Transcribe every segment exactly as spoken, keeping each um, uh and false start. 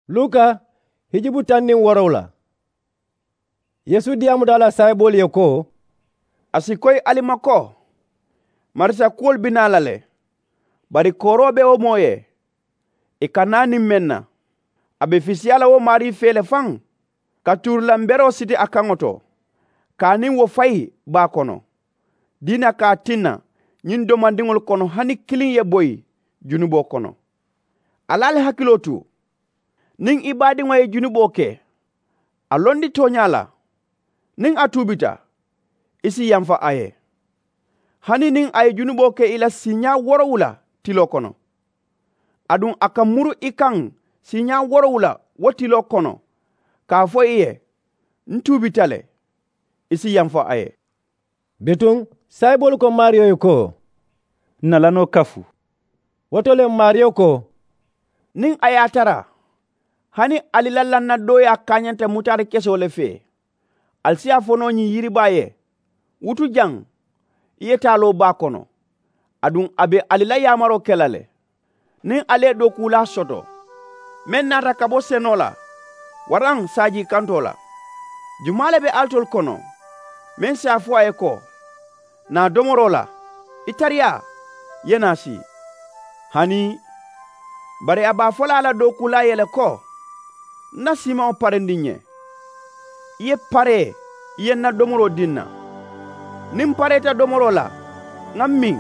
Luka hijubu taŋ niŋ woorowula. Yeesu diyaamuta a la saayiboolu ye ko, a si koyi ali ma ko, marisa kuwolu bi naa la le. Bari kooroo be wo moo ye, ì ka naa niŋ meŋ na, a be fisiyaa la wo maarii fee le faŋ, ka tuurilamberoo siti a kaŋo to, ka a niŋ wo fayi baa kono. Diina ka a tinna ñiŋ domandiŋolu kono hani kiliŋ ye boyi junuboo kono. Ali ali hakiloo tu. Niŋ i baadiŋo ye junuboo ke, a londi tooñaa la, niŋ a tuubita, i si yamfa a ye. Hani niŋ a ye junuboo ke i la siiñaa woorowula tiloo kono, aduŋ a ka muru i kaŋ siiñaa woorowula wo tiloo kono, ka a fo i ye, n tuubita le, i si yamfa a ye. Bituŋ saayiboolu ko maariyo ye ko, n na lanoo kafu. Wo to le maariyo ko, niŋ a ye a tara hani ali la lannadooyaa kaañanta mutaari kesoo le fee, ali si a fo noo ñiŋ yiribaa ye, wutu jaŋ, i ye taa loo baa kono. Aduŋ a be ali la yaamaroo ke la le. Niŋ ali ye dookuulaa soto meŋ naata ka bo senoo la, waraŋ saajii kantoo la, jumaa le be alitolu kono meŋ si a fo a ye ko, naa domoroo la, i tariyaa, i ye naa sii? Hanii bari a be a fo la a la dookuulaa ye le ko, n na siimaŋo parendi n ye, i ye paree, i ye n na domoroo dii n na. Niŋ m pareeta domoroo la, ŋa m miŋ,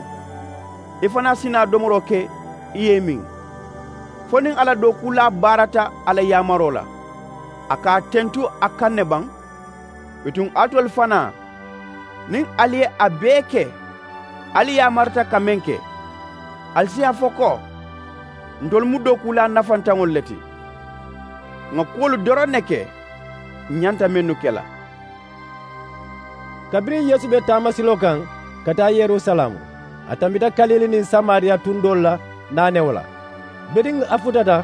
i fanaa si naa domoroo ke, i ye i miŋ. Fo niŋ a la dookuulaa baarata a la yaamaroo la, a ka a tentu a kaŋ ne baŋ? Bituŋ alitolu fanaa, niŋ ali ye a bee ke, ali yaamarita ka meŋ ke, ali si a fo ko, ntolu mu dookuulaa nafantaŋolu le ti. Ŋa kuwolu doroŋ ne ke, ǹ ñanta mennu ke la. Kabiriŋ yeesu be taamasiloo kaŋ ka taa yerusalaamu, a tambita kalili niŋ samariya tuŋ doolu la naanewo la. Biriŋ a futata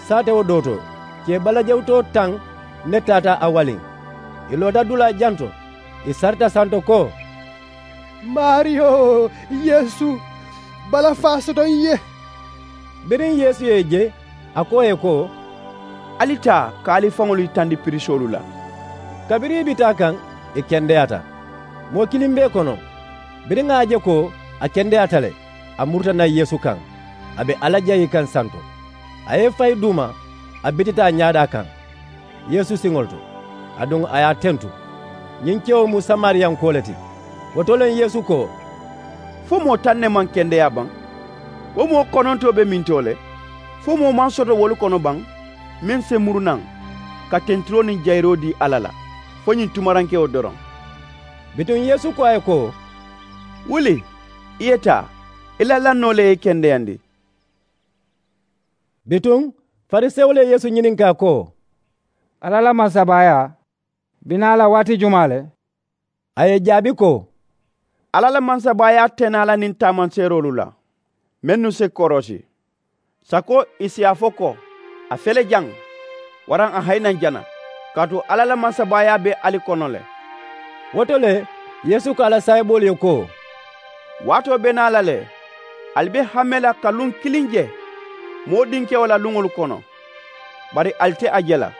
saatewo doo to, kee balajewutoo taŋ ne taata a waliŋ. Ì loota dulaa janto, ì sarita santo ko, maariyo, yeesu, balafaa soto n ye. Biriŋ yeesu ye ì je, a ko ì ye ko, ali taa ka ali faŋolu yitandi pirisoolu la. Kabiriŋ ì bi taa kaŋ, ì kendeyaata. Moo kiliŋ be ì kono. Biriŋ a ye a je ko a kendeyaata le, a muruta naŋ yeesu kaŋ, a be alla jayi kaŋ santo. A ye ì fayi duuma, a bitita a ñaadaa kaŋ yeesu siŋolu to, aduŋ a ye a tentu. Ñiŋ kewo mu samariyankoo le ti. Wo to le yeesu ko, fo moo taŋ ne maŋ kendeyaa baŋ? Wo moo konontoo be mintoo le? Fo moo maŋ soto wolu kono baŋ meŋ si muru naŋ ka tentiroo niŋ jayiroo dii alla la fo ñiŋ tumarankewo doroŋ? Bituŋ yeesu ko a ye ko, wuli, i ye taa, i la lannoo le ye i kendeyandi. Bituŋ farisewolu ye yeesu ñininkaa ko, alla la mansabaayaa be naa la waati jumaa le? A ye ì jaabi ko, alla la mansabaayaa te naa la niŋ taamanseeroolu la mennu si korosi, sako ì si a fo ko, a fele jaŋ, waraŋ a hayi naŋ jana, kaatu alla la mansabaayaa be ali kono le. Wo to le yeesu ko a la saayiboolu ye ko, waatoo be naa la le, ali be hame la ka luŋ kiliŋ je moo dinkewo la luŋolu kono, bari ali te a je la.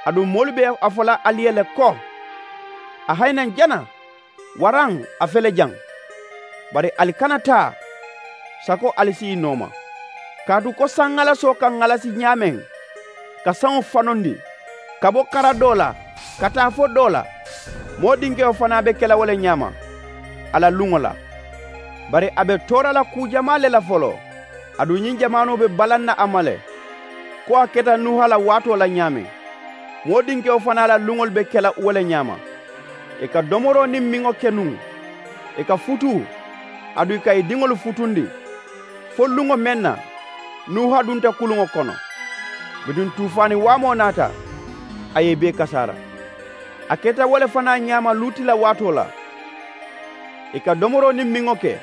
Aduŋ moolu be a fo la ali ye le ko, a hayi naŋ jana, waraŋ a fele jaŋ. Bari ali kana taa sako ali si ì nooma. Kaatu ko sanŋalasoo ka ŋalasi ñaameŋ ka saŋo fanondi ka bo kara doo la ka taa fo doo la, moo dinkewo fanaa be ke la wo le ñaama a la luŋo la. Bari a be toora la kuu jamaa le la foloo, aduŋ ñiŋ jamaanoo be balaŋ na a ma le, ko a keta nuuha la waatoo la ñaameŋ. Moo dinkewo fanaa la luŋolu be ke la wo le ñaama. Ì ka domoroo niŋ miŋo ke nuŋ, ì ka futuu, aduŋ ì ka ì diŋolu futundi, fo luŋo meŋ na nuuha dunta kuluŋo kono. Bituŋ tuufaani waamoo naata, a ye ì bee kasaara. A keta wo le fanaa ñaama luuti la waatoo la. Ì ka domoroo niŋ miŋo ke,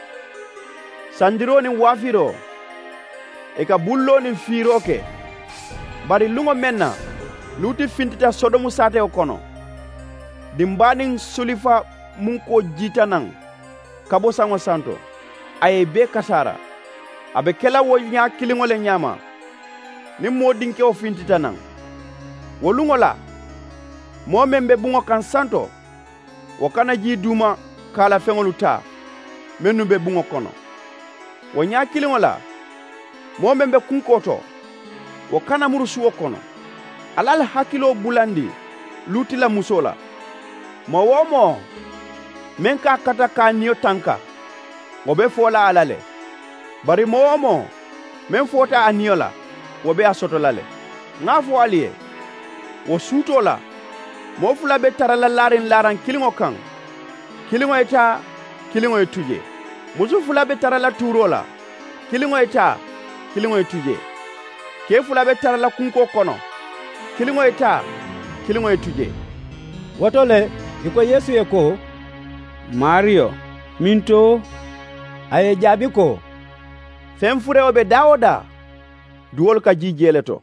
sandiroo niŋ waafiroo, ì ka bulloo niŋ fiiroo ke. Bari luŋo meŋ na luuti fintita sodomu saatewo kono, dimbaa niŋ sulifa munkoo jiita naŋ ka bo saŋo santo, a ye ì bee kasaara. A be ke la wo ñaa kiliŋo le ñaama. Niŋ moo dinkewo fintita naŋ, Wo luŋo la, moo meŋ be buŋo kaŋ santo, wo kana jii duuma kaalafeŋolu taa mennu be buŋo kono. Wo ñaa kiliŋo la, moo meŋ be kunkoo to, wo kana muru suwo kono. Alla la hakiloo bulandi luuti la musoo la. Moo-wo-moo meŋ ka a kata ka a niyo tanka, wo be foo la a la le. Bari moo-wo-moo meŋ foota a niyo la, wo be a soto la le. Ŋa a fo ali ye, wo suutoo la, moo fula be tara la laariŋ laaraŋ kiliŋo kaŋ, kiliŋo ye taa, kiliŋo ye tu jee. Musu fula be tara la tuuroo la, kiliŋo ye taa, kiliŋo ye tu jee. Kee fula be tara la kunkoo kono, kiliŋo ye taa, kiliŋo ye tu jee. Wo to le, ì ko yeesu ye ko, maariyo, minto? A ye ì jaabi ko, feŋ furewo be daa-wo-daa, duwolu ka jii jee le to.